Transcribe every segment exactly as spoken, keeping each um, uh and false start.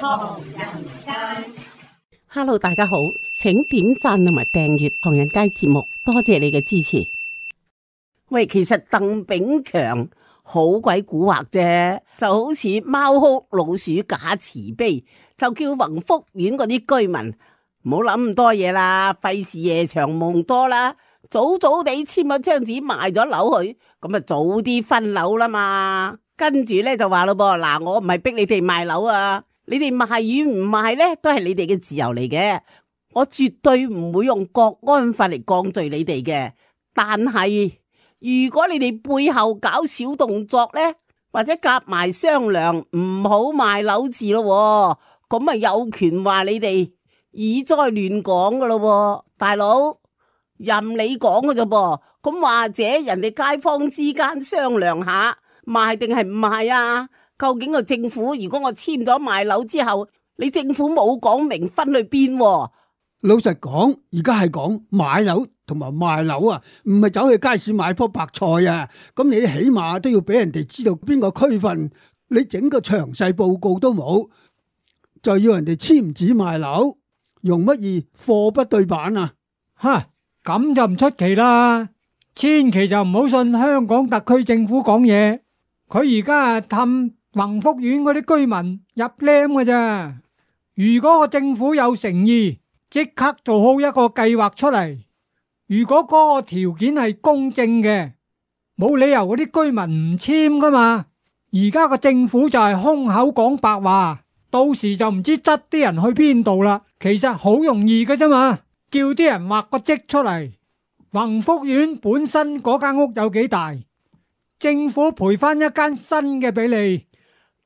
唐人街。Hello， 大家好，請點讚同埋訂閱唐人街節目，多謝你嘅支持。喂，其實鄧炳強好鬼蠱惑啫，就好似貓哭老鼠假慈悲，就叫宏福苑嗰啲居民唔好諗咁多嘢啦，費事夜長夢多啦，早早地簽咗張紙賣咗樓去，咁啊早啲分樓啦嘛。跟住咧就話咯噃，嗱，我唔係逼你哋賣樓啊，你哋賣與唔賣咧都係你哋嘅自由嚟嘅，我絕對唔會用國安法嚟降罪你哋嘅。但係如果你哋背後搞小動作咧，或者夾埋商量唔好賣樓字咯，咁啊有權話你哋以災亂港噶咯，大佬任你講噶啫噃。咁或者人哋街坊之間商量下賣定係唔賣啊？究竟個政府如果我簽咗賣樓之後，你政府冇講明分去邊？老實講，而家係講買樓同埋賣樓啊，唔係走去街市買棵白菜啊。咁你起碼都要俾人哋知道邊個區份，你整個詳細報告都冇，就要人哋簽紙賣樓，用乜嘢貨不對版啊？吓，咁就唔出奇啦。千祈就唔好信香港特區政府講嘢，佢而家係氹宏福苑嗰啲居民入僆㗎咋。如果個政府有誠意，即刻做好一個計劃出嚟。如果嗰個條件係公正嘅，冇理由嗰啲居民唔簽噶嘛。而家個政府就係空口講白話，到時就唔知執啲人去邊度啦。其實好容易嘅啫嘛，叫啲人畫個則出嚟。宏福苑本身嗰間屋有幾大，政府賠翻一間新嘅俾你，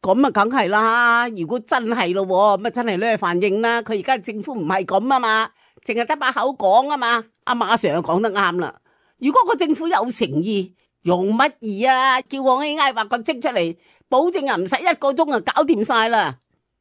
咁啊梗係啦。如果真係咯，咁啊真係呢個反應啦。佢而家政府唔係咁啊嘛，淨係得把口講啊嘛。阿馬 Sir 講得啱啦。如果個政府有誠意，用乜嘢啊？叫我 A I 畫個則出嚟，保證啊唔使一個鐘啊搞掂晒啦。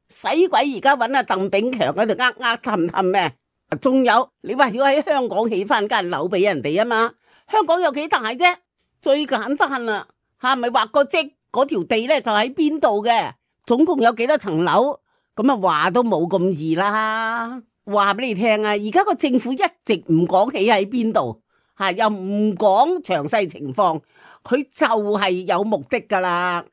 使鬼而家揾阿鄧炳強喺度呃呃氹氹咩？仲有你話要喺香港起翻間樓俾人哋啊嘛？香港有幾大啫？最簡單啦，係咪畫個則？嗰條地咧就喺邊度嘅？總共有幾多層樓？咁啊話都冇咁易啦。話俾你聽啊，而家個政府一直唔講起喺邊度，吓又唔講詳細情況，佢就係有目的噶啦。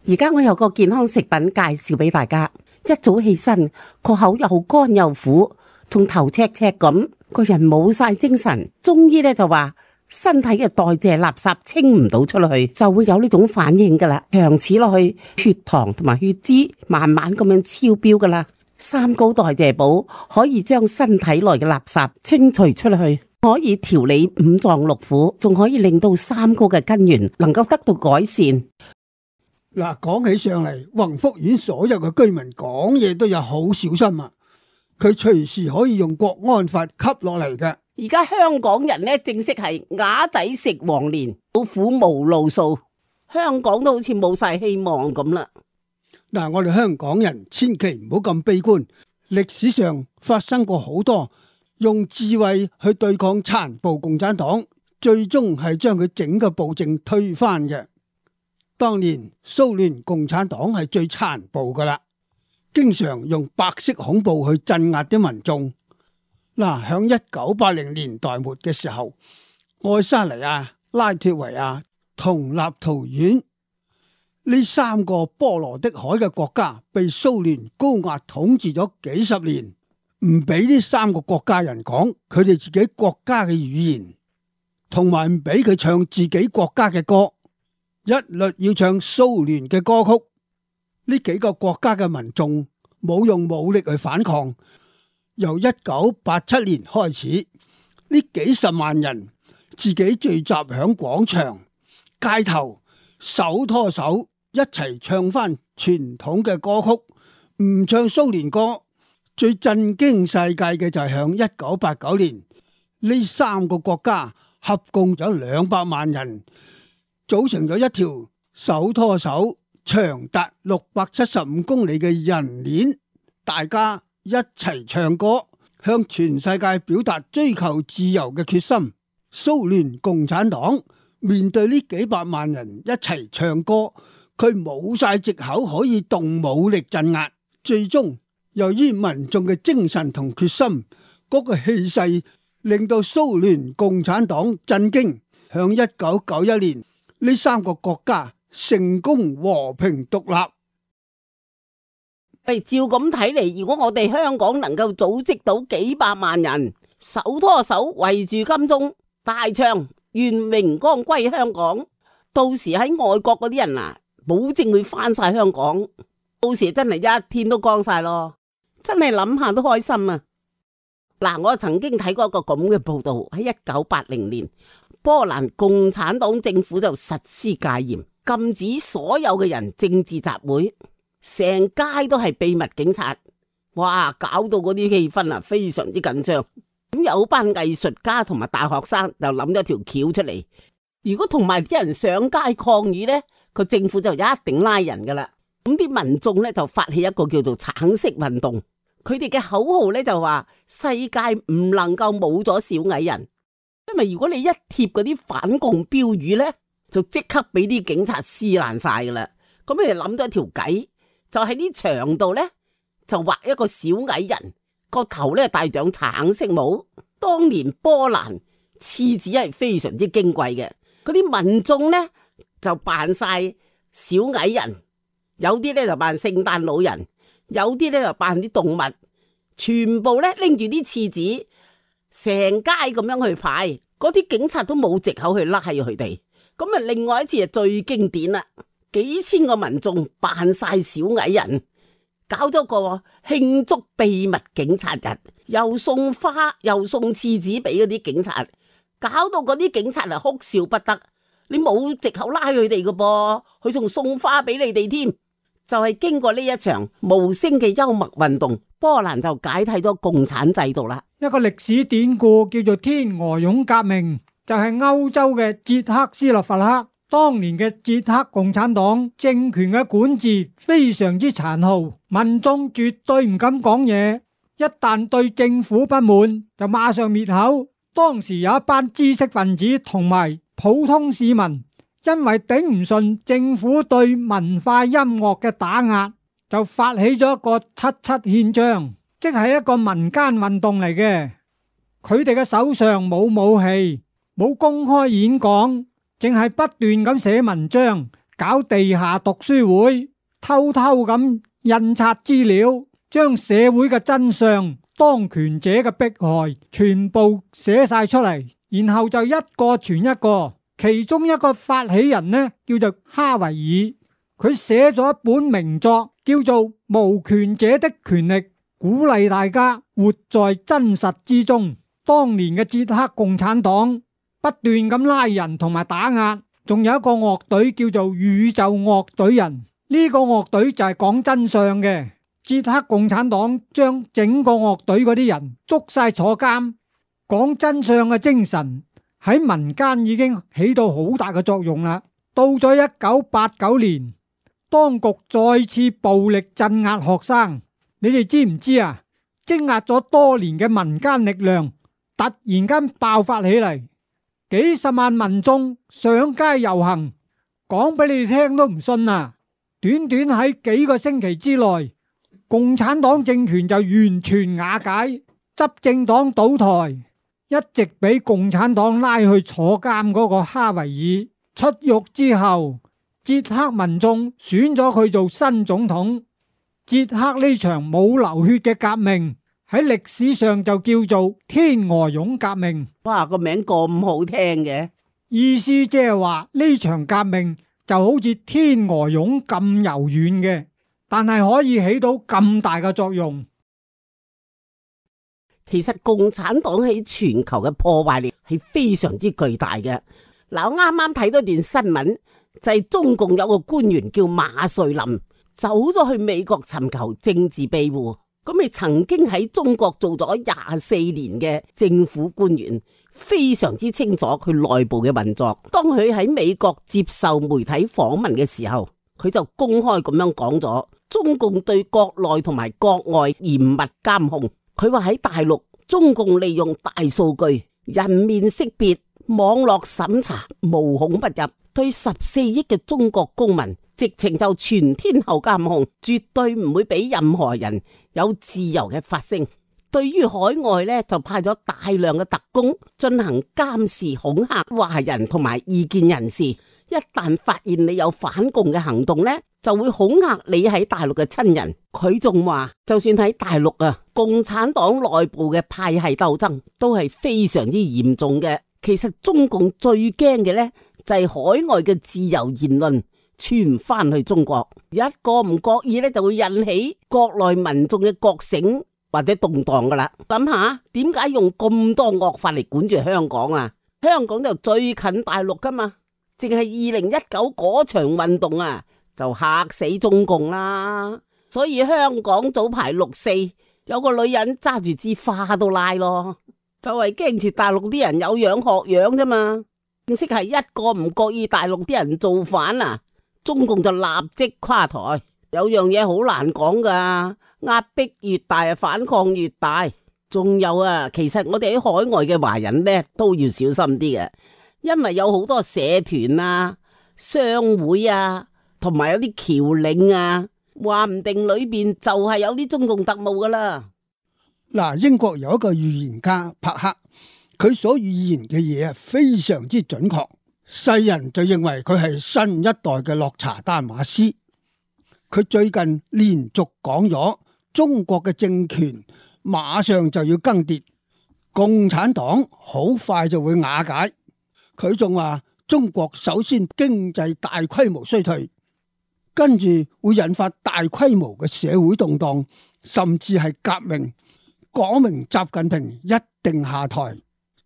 而家我有個健康食品介紹俾大家，一早起身個口又乾又苦，仲頭赤赤咁，個人冇晒精神。中醫咧就話身體嘅代謝垃圾清唔到出去，就會有呢種反應噶啦。長此落去，血糖同埋血脂慢慢咁樣超標噶啦。三高代謝寶可以將身體內嘅垃圾清除出去，可以調理五臟六腑，仲可以令到三高嘅根源能夠得到改善。嗱，講起上嚟，宏福苑所有嘅居民講嘢都有好小心啊！佢隨時可以用國安法吸落嚟嘅。而家香港人咧正式係啞仔食黃連，老虎無路數，香港都好似冇晒希望咁啦。嗱，我哋香港人千祈唔好咁悲觀。歷史上發生過好多用智慧去對抗殘暴共產黨，最終係將佢整個暴政推翻嘅。當年蘇聯共產黨係最殘暴噶啦，經常用白色恐怖去鎮壓啲民眾。嗱，響一九八零年代末嘅時候，愛沙尼亞、拉脫維亞同立陶宛呢三個波羅的海嘅國家被蘇聯高壓統治咗幾十年，唔俾呢三個國家人講佢哋自己國家嘅語言，同埋唔俾佢唱自己國家嘅歌，一律要唱蘇聯嘅歌曲。呢幾個國家嘅民眾冇用武力去反抗。由一九八七年開始，呢幾十萬人自己聚集響廣場、街頭，手拖手一齊唱翻傳統嘅歌曲，唔唱蘇聯歌。最震驚世界嘅就係響一九八九年，呢三個國家合共有兩百萬人組成咗一條手拖手長達六百七十五公里嘅人鏈，大家一齊唱歌，向全世界表達追求自由嘅決心。蘇聯共產黨面對呢幾百萬人一齊唱歌，佢冇晒藉口可以動武力鎮壓，最終由於民眾嘅精神同決心，嗰個氣勢令到蘇聯共產黨震驚。響一九九一年，呢三個國家成功和平獨立。喂，照咁睇嚟，如果我哋香港能夠組織到幾百萬人手拖手圍住金鐘，大唱願榮光歸香港，到時喺外國嗰啲人啊，保證會翻晒香港，到時真係一天都光晒咯，真係諗下都開心啊！嗱，我曾經睇過一個咁嘅報道，喺一九八零年，波蘭共產黨政府就實施戒嚴，禁止所有嘅人政治集會，成街都係秘密警察，哇，搞到嗰啲氣氛啊非常之緊張。咁有班藝術家同埋大學生就諗咗條橋出嚟，如果同埋啲人上街抗議呢，個政府就一定拉人噶啦。咁啲民眾呢，就發起一個叫做橙色運動。佢哋嘅口號咧就話世界唔能夠冇咗小矮人，因為如果你一貼嗰啲反共標語咧，就即刻俾啲警察撕爛晒噶啦。咁佢哋諗咗一條計，就喺啲牆度咧就畫一個小矮人，個頭咧戴上橙色帽。當年波蘭廁紙係非常之矜貴嘅，嗰啲民眾咧就扮晒小矮人，有啲咧就扮聖誕老人。有啲咧就扮啲動物，全部咧拎住啲廁紙，成街咁樣去派，嗰啲警察都冇藉口去拉佢哋。咁啊，另外一次就最經典啦，幾千個民眾扮晒小矮人，搞咗個慶祝秘密警察日，又送花又送廁紙俾嗰啲警察，搞到嗰啲警察啊哭笑不得。你冇藉口拉佢哋噶噃，佢仲送花俾你哋添。就係經過呢一場無聲嘅幽默運動，波蘭就解體咗共產制度啦。一個歷史典故叫做天鵝絨革命，就係歐洲嘅捷克斯洛伐克。當年嘅捷克共產黨政權嘅管治非常之殘酷，民眾絕對唔敢講嘢，一旦對政府不滿就馬上滅口。當時有一班知識分子同埋普通市民，因為頂唔順政府對文化音樂嘅打壓，就發起咗一個七七憲章，即係一個民間運動嚟嘅。佢哋嘅手上冇武器，冇公開演講，淨係不斷咁寫文章，搞地下讀書會，偷偷咁印刷資料，將社會嘅真相、當權者嘅迫害全部寫晒出嚟，然後就一個傳一個。其中一個發起人呢，叫做哈維爾，佢寫咗一本名作叫做《無權者的權力》，鼓勵大家活在真實之中。當年嘅捷克共產黨不斷咁拉人同埋打壓，仲有一個樂隊叫做宇宙樂隊人，呢個樂隊就係講真相嘅。捷克共產黨將整個樂隊嗰啲人捉晒坐監，講真相嘅精神喺民間已經起到好大嘅作用啦。到咗一九八九年，當局再次暴力鎮壓學生，你哋知唔知啊？積壓咗多年嘅民間力量突然間爆發起嚟，幾十萬民眾上街遊行，講俾你哋聽都唔信啊！短短喺幾個星期之內，共產黨政權就完全瓦解，執政黨倒台。一直俾共產黨拉去坐監嗰個哈維爾出獄之後，捷克民眾選咗佢做新總統。捷克呢場冇流血嘅革命喺歷史上就叫做天鵝絨革命。哇，個名咁好聽嘅，意思即係話呢場革命就好似天鵝絨咁柔軟嘅，但係可以起到咁大嘅作用。其實共產黨喺全球嘅破壞力係非常之巨大嘅。嗱，我啱啱睇到段新聞，就係中共有個官員叫馬瑞林，走咗去美國尋求政治庇護。咁你曾經喺中國做咗廿四年嘅政府官員，非常之清楚佢內部嘅運作。當佢喺美國接受媒體訪問嘅時候，佢就公開咁樣講咗，中共對國內同埋國外嚴密監控。佢話喺大陸，中共利用大數據、人面識別、網絡審查，無孔不入，對十四億嘅中國公民直情就全天候監控，絕對唔會俾任何人有自由嘅發聲。對於海外咧，就派咗大量嘅特工進行監視、恐嚇華人同埋異見人士。一旦發現你有反共嘅行動咧，就會恐嚇你喺大陸嘅親人。佢仲話，就算喺大陸啊，共產黨內部嘅派系鬥爭都係非常之嚴重嘅。其實中共最驚嘅咧，就係海外嘅自由言論傳翻去中國，一個唔覺意咧，就會引起國內民眾嘅覺醒或者動盪噶啦。諗下點解用咁多惡法嚟管住香港啊？香港就最近大陸噶嘛，淨係二零一九嗰場運動啊，就嚇死中共啦。所以香港早排六四有個女人揸住支花都拉咯，就係驚住大陸啲人有樣學樣啫嘛。正式係一個唔覺意大陸啲人造反啊，中共就立即垮台。有樣嘢好難講噶，壓迫越大啊，反抗越大。仲有啊，其實我哋喺海外嘅華人呢都要小心啲嘅，因為有好多社團啊、商會啊，同埋有啲僑領啊，話唔定裏邊就係有啲中共特務噶啦。嗱，英國有一個預言家柏克，佢所預言嘅嘢非常之準確，世人就認為佢係新一代嘅洛查丹馬斯。佢最近連續講咗中國嘅政權馬上就要更迭，共產黨好快就會瓦解。佢仲話中國首先經濟大規模衰退，跟住會引發大規模嘅社會動盪，甚至係革命，講明習近平一定下台，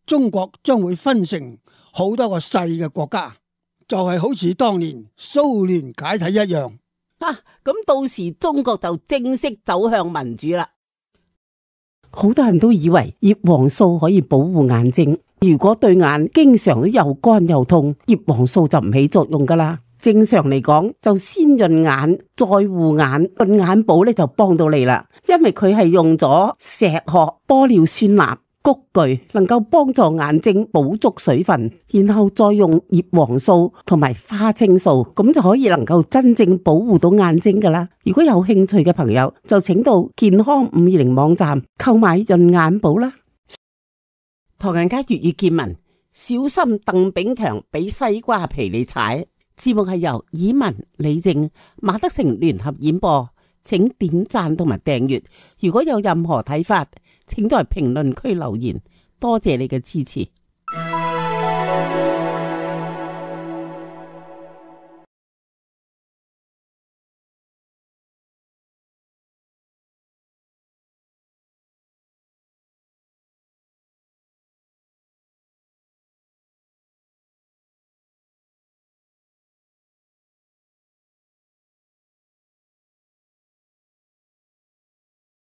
中國將會分成好多個細嘅國家，就係好似當年蘇聯解體一樣。啊，咁到時中國就正式走向民主啦。好多人都以為葉黃素可以保護眼睛，如果對眼經常都又乾又痛，葉黃素就唔起作用噶啦。正常嚟講，就先潤眼再護眼，潤眼寶咧就幫到你啦，因為佢係用咗石殼、玻尿酸鈉、菊苣，能夠幫助眼睛補足水分，然後再用葉黃素同埋花青素，咁就可以能夠真正保護到眼睛噶啦。如果有興趣嘅朋友，就請到健康五二零網站購買潤眼寶啦。唐人街粵語見聞，小心鄧炳強俾西瓜皮你踩。節目係由以文、李靜、馬德成聯合演播，請點讚同埋訂閱。如果有任何睇法，請在評論區留言。多謝你嘅支持。